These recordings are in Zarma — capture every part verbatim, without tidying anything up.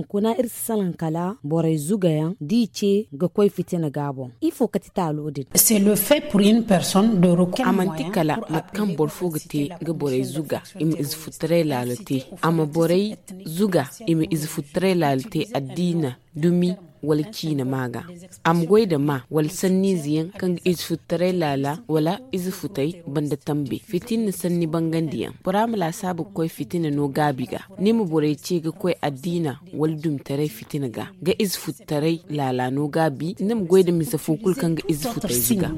kuna iri si salaŋ kala borey zugayaŋ da i ce ga koy fitina ga boŋ. Ifo ka ti taalo din? A manti kala mate kaŋ boro fo ga te ga borey zuga i ma ize futtaray laalo te. A ma borey zuga i ma ize futtaray laalo te addiina, dumi, wala ciina ma ga. A ma goy nda maa wala sanniize yaŋ kaŋ ga ize futtaray laala wala ize futay banda tambe fitinna sanni bangandi yaŋ. Bora ma laasaabu ga koy fitina no gaabi ga. Ni ma borey ce ga koy addiina wala dumitaray fitina ga ga ize futtaray laala no gaabi ni ma goy nda mise fo kulu kaŋ ga ize futay ga.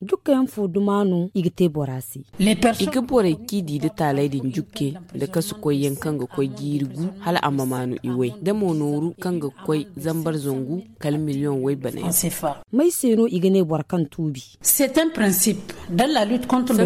Dukka yaŋ fo duma no i ga te bora se? I ga borey kaŋ i di nda taaley din jukke nda kasu koy yaŋ kaŋ ga koy jiiri gu hala a ma maanu i way da mo nooru kaŋ ga koy zambar zangu kala miliyoŋ way bana yaŋ. May se no i ga ne boro kaŋ tuubi? Sanka no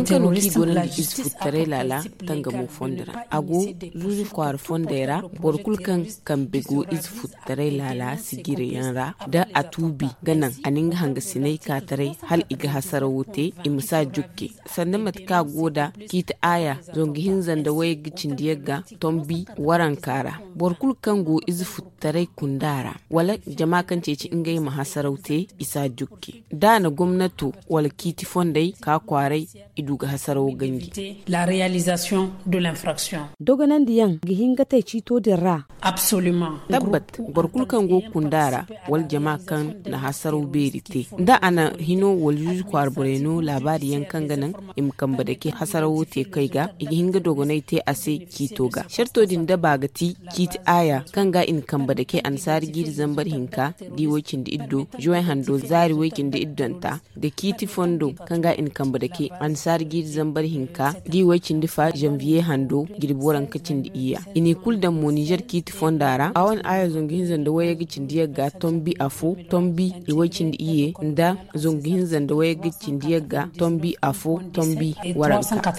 kaŋ i go no nda ize futtaray laala tangamo fondo ra a go zuuzu kwaara fondey ra. Boro kulu kaŋ kambe go ize futtaray laala sijirayaŋ ra da a tuubi ga naŋ a na nga hangasinay ka taray hala i ga hasarawo te i ma si a jukke. Sanda mate kaŋ a go nda ciiti aaya zangu hinza nda wayagga cindi yagga tombi waranka ra. Boro kulu kaŋ go ize futtaray kunda ra wala jama kaŋ ceeci ngey ma hasaraw te i si a jukke da a na gomnato wala ciiti fondey ka kwaaray i du ga hasarawo ganji. Dogonandiyaŋ ga hin ga te ciito din ra? Tabbat, boro kulu kaŋ go ga kunda ra wala jama kaŋ na hasaraw beeri te da a na hino wala zuuzu kwaara borey no laabaari yaŋ kaŋ ga naŋ i ma kambe dake hasarawo te kay ga i ga hin ga dogonay te a se ciito ga sarto din daba ga ti ciiti aaya kaŋ ga i na kambe dake annasaara jiiri zambar hinka da i way cindi iddo juway hando zaari way cindi iddonta da ciiti fondo kaŋ ga i na kambe dake annasaara jiiri zambar hinka da i way cindi fa zanviye hando jirbi waranka cindi iyya. I n'i kulu daŋ mo nizer ciiti fonda ra a wane aaya zangu hinza nda wayagga cindi yagga tombi afo tombi i way cindi iyye nda zangu hinza nda wayagga cindi yagga tombi afo tombi waranka.